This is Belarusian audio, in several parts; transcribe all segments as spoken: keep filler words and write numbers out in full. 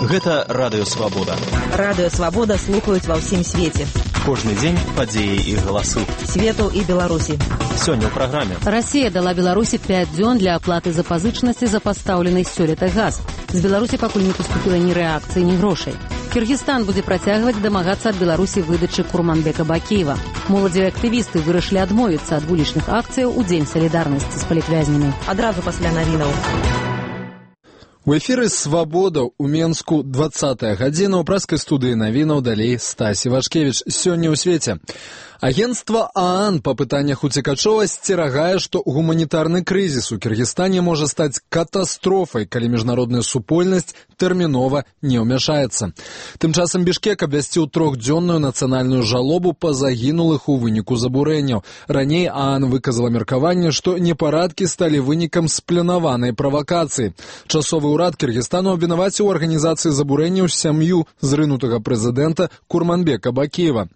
Гэта Радыё Свабода. Радыё Свабода слухаюць ва ўсім свеце. Кожны дзень падзеі і галасы. Свету і Беларусі. Сёння ў праграме. Расія дала Беларусі пяць дзён для аплаты запазычнасці за пастаўлены сёлета газ. З Беларусі пакуль не паступіла ні рэакцыі, ні грошай. Кыргызстан будзе працягваць дамагацца ад Беларусі выдачы Курманбека Бакеева. Моладзевыя актывісты вырашылі адмовіцца ад вулічных акцыяў у дзень салідарнасці з палітвязнямі. Адразу пасля навінаў. У эфіры «Свабода» у Менску двадцатая гадзіна, у праскай студыі навінаў далей Стасі Вашкевіч. Сёння ў свеце. Агентство ААН па пытаннях уцекачоў асцерагае, што гуманітарны крызіс у Кыргызстане можа стаць катастрофай, калі міжнародная супольнасць тэрмінова не ўмяшаецца. Тым часам Бішкек абвясціў трохдзённую нацыянальную жалобу па загінулых у выніку забурэнняў. Раней ААН выказала меркаванне, што непарадкі сталі вынікам спланаванай правакацыі. Часовы ўрад Кыргызстану абвінаваціў у арганізацыі забурэнняў сям'ю зрынутага прэзідэнта Курманбека Бакеева.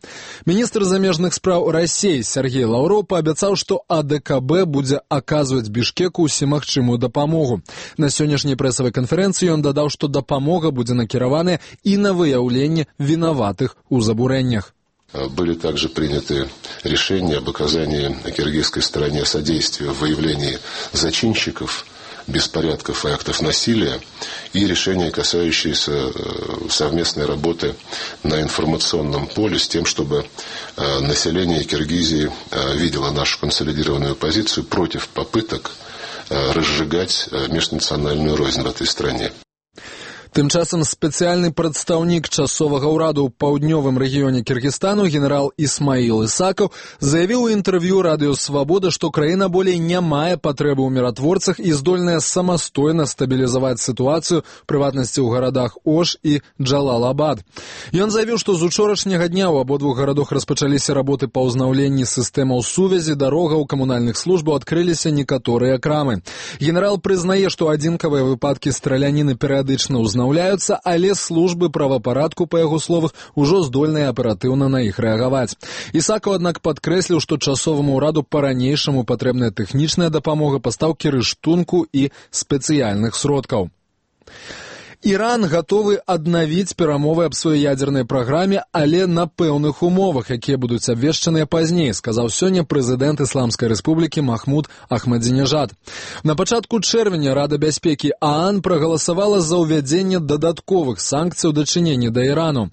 Міністр замежных справ Расіі Сергей Лаўроў паабяцаў, што АДКБ будзе аказваць Бішкеку усімагчымую дапамогу. На сённяшняй прэсавай канферэнцыі ён дадаў, што дапамога будзе накіраваная і на выяўленне вінаватых у забурэннях. Были также приняты решения об оказании киргизской стороне содействия в выявлении зачинщиков беспорядков и актов насилия, и решения, касающиеся совместной работы на информационном поле с тем, чтобы население Киргизии видело нашу консолидированную позицию против попыток разжигать межнациональную рознь в этой стране. Тым часам спецыяльны прадстаўнік часовага ўраду ў паўднёвым рэгіёне Кыргызстану генерал Исмаил Исаков заявіў у інтэрв'ю Радыё Свабода, што краіна болей не мае патрэбы ў міратворцах і здольная самастойна стабілізаваць сітуацыю, прыватнасці ў гарадах Ош і Джалал-Абад. Ён заявіў, што з учорашняга дня ў абодвух гарадах распачаліся работы па ўзнаўленні сістэмаў сувязі, дарогаў, камунальных службаў, адкрыліся некаторыя крамы. Генерал прызнае, што адзінкавыя выпадкі страляніны перыядычна ўзнаўляюцца, але службы правапарадку, па яго словах, ужо здольныя аператыўна на іх рэагаваць. Ісакаў, аднак, падкрэсліў, што часоваму ўраду па-ранейшаму патрэбная тэхнічная дапамога, пастаўкі рыштунку і спецыяльных сродкаў. Іран гатовы аднавіць перамовы аб сваёй ядзернай праграме, але на пэўных умовах, якія будуць абвешчаныя пазней, сказаў сёння прэзідэнт Ісламскай рэспублікі Махмуд Ахмадзінежад. На пачатку чэрвеня Рада бяспекі ААН прагаласавала за ўвядзенне дадатковых санкцый у дачыненні да Ірану.